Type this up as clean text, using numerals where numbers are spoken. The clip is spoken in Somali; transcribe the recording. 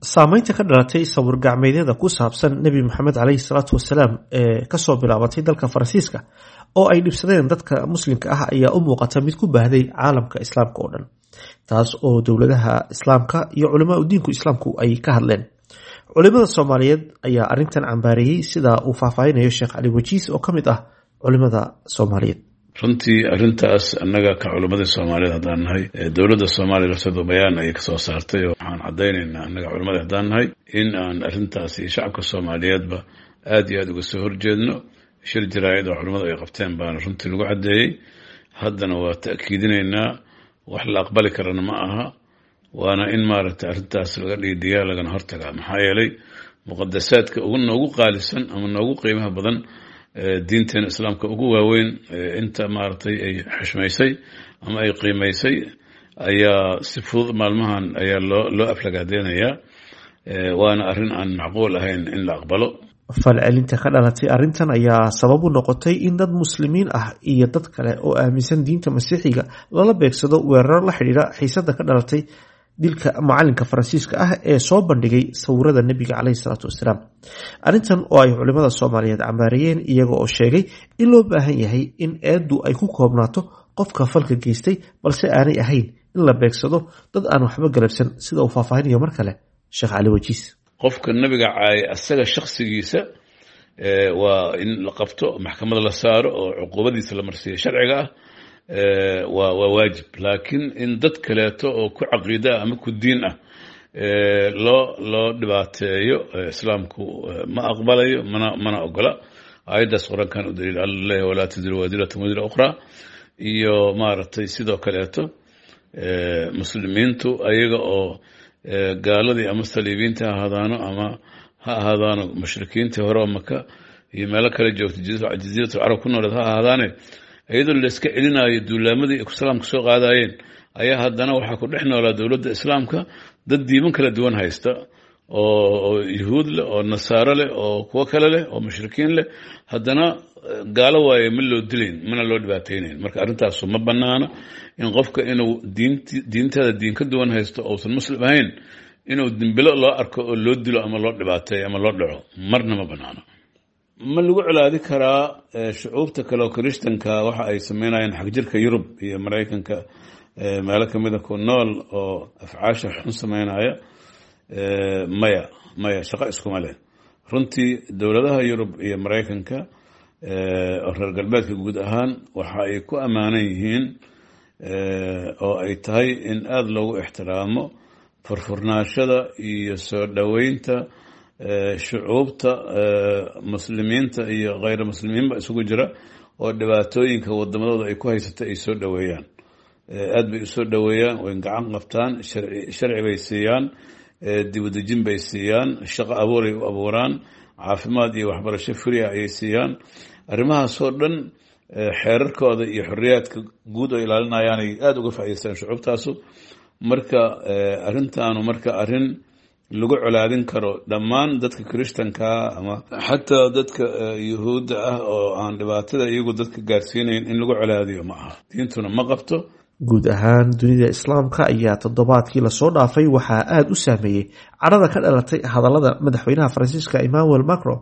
Saamaynta ka dhalatay sawir gacmeedyada ku saabsan Nebi Maxamed caleyhi salaatu wasalaam ee kasoo bilaabatay dalka Faransiiska oo ay dhibsadeen dadka muslimka ah ayaa u muuqata mid ku baahday caalamka islaamka oo dhan, taas oo dowladaha islaamka iyo culamaa diinku islaamku ay ka hadleen. Culimada Soomaaliyeed ayaa arrintan cambaareeyey, sida uu faahfaahinayo Sheekh Cali Wajiis oo ka mid ah culimada Soomaaliyeed. Runtii arrintaas annaga ka culimmadii Soomaaliyeed haddaan nahay, dowladda Soomaaliya lafteedu bayaan ayay kasoo saartay oo waxaan caddaynaynaa annaga culimmada haddaan nahay in aan arrintaas iyo shacabka Soomaaliyeedba aad iyo aada uga soo horjeedno. Shir jaraa'id oo culimmadu ay qabteen baana runtii lagu caddeeyey. Haddana waa ta'kiidinaynaa, wax la aqbali karana ma aha, waana in maaragtay arrintaas laga dhiidhiyaa lagana hortagaa. Maxaa yeelay muqadasaadka ugu noogu qaalisan ama noogu qiimaha badan, diinteena islaamka ugu waaweyn, inta maaragtay ay xushmaysay ama ay qiimaysay ayaa si fudud maalmahan ayaa loo aflagaadeynayaa, waana arrin aan macquul ahayn in la aqbalo. Falcelinta ka dhalatay arrintan ayaa sabab u noqotay in dad muslimiin ah iyo dad kale oo aaminsan diinta masiixiga lala beegsado weeraro la xidhiidha xiisada ka dhalatay dilka macalinka Faransiiska ah ee soo bandhigay sawirada nebiga caleyhi salaatu wasalaam. Arrintan oo ay culimada Soomaaliyeed cambaareeyeen, iyaga oo sheegay in loo baahan yahay in eeddu ay ku koobnaato qofka falka geystay, balse aanay ahayn in la beegsado dad aan waxba galabsan, sida uu faahfaahinayo mar kale Sheekh Cali Wajiis. Qofka nabiga caayay asaga shaksigiisa waa in la qabto, maxkamad la saaro oo cuquubadiisa la marsiiyo sharciga ah, waa waajib. Laakiin in dad kaleeto oo ku caqiida ah ama ku diin ah loo dhibaateeyo, islaamku ma aqbalayo mana ogola. Aayaddaas Qur-aankan u daliil, Alla leeyahy walaa taziru waasiratun wasra ukhraa. Iyo maaragtay sidoo kaleeto muslimiintu ayaga oo gaaladii ama saliibiinta ha ahaadaano ama ha ahaadaano mushrikiintii hore oo Maka iyo meelo kale joogta, Jasiiratul Carab ku nooleed ha ahaadaane, iyadoo layska celinaayo duulaamadii islaamka soo qaadayeen, ayaa haddana waxaa ku dhex noolaa dowladda islaamka dad diiman kala duwan haysta oo yuhuud leh oo nasaaro leh oo kuwo kale leh oo mushrikiin leh. Haddana gaalo waaye ma loo dilayn mana loo dhibaataynayn. Marka arrintaasu ma banaana in qofka inuu diintada diin ka duwan haysto ousan muslim ahayn inuu dimbilo loo arko oo loo dilo ama loo dhibaateeyo ama loo dhaco, marna ma banaana. Ma lagu colaadi karaa shucuubta kale oo kirishtanka waxa ay sameynayaan xagjirka Yurub iyo Maraykanka meelo kamida ku nool oo afcaasha xun sameynaya? Maya, maya, shaqo iskuma leh. Runtii dowladaha Yurub iyo Maraykanka oo reer galbeedka guud ahaan waxa ay ku ammaanan yihiin oo ay tahay in aada loogu ixtiraamo furfurnaashada iyo soo dhoweynta shucuubta muslimiinta iyo kheyr muslimiinba isugu jira oo dhibaatooyinka wadamadooda ay ku haysata ay soo dhoweeyaan. Aad bay usoo dhoweeyaan, way gacan qabtaan, sharci bay siiyaan, dibudejin bay siiyaan, shaqo abuuray u abuuraan, caafimaad iyo waxbarasho free ah ayay siiyaan. Arrimahaasoo dhan xeerarkooda iyo xorriyaadka guud oo ilaalinayaanay aada uga faa'idaystaan shucuubtaasu. Marka arrintaanu marka arrin lagu colaadin karo dhammaan dadka kirishtankaa ama xataa dadka yuhuudda ah oo aan dhibaatada iyagu dadka gaarsiinayn in lagu colaadiyo ma aha, diintuna ma qabto. Guud ahaan dunida islaamka ayaa toddobaadkii lasoo dhaafay waxaa aada u saameeyey cadhada ka dhalatay hadallada madaxweynaha Faransiiska Emmanuel Macron.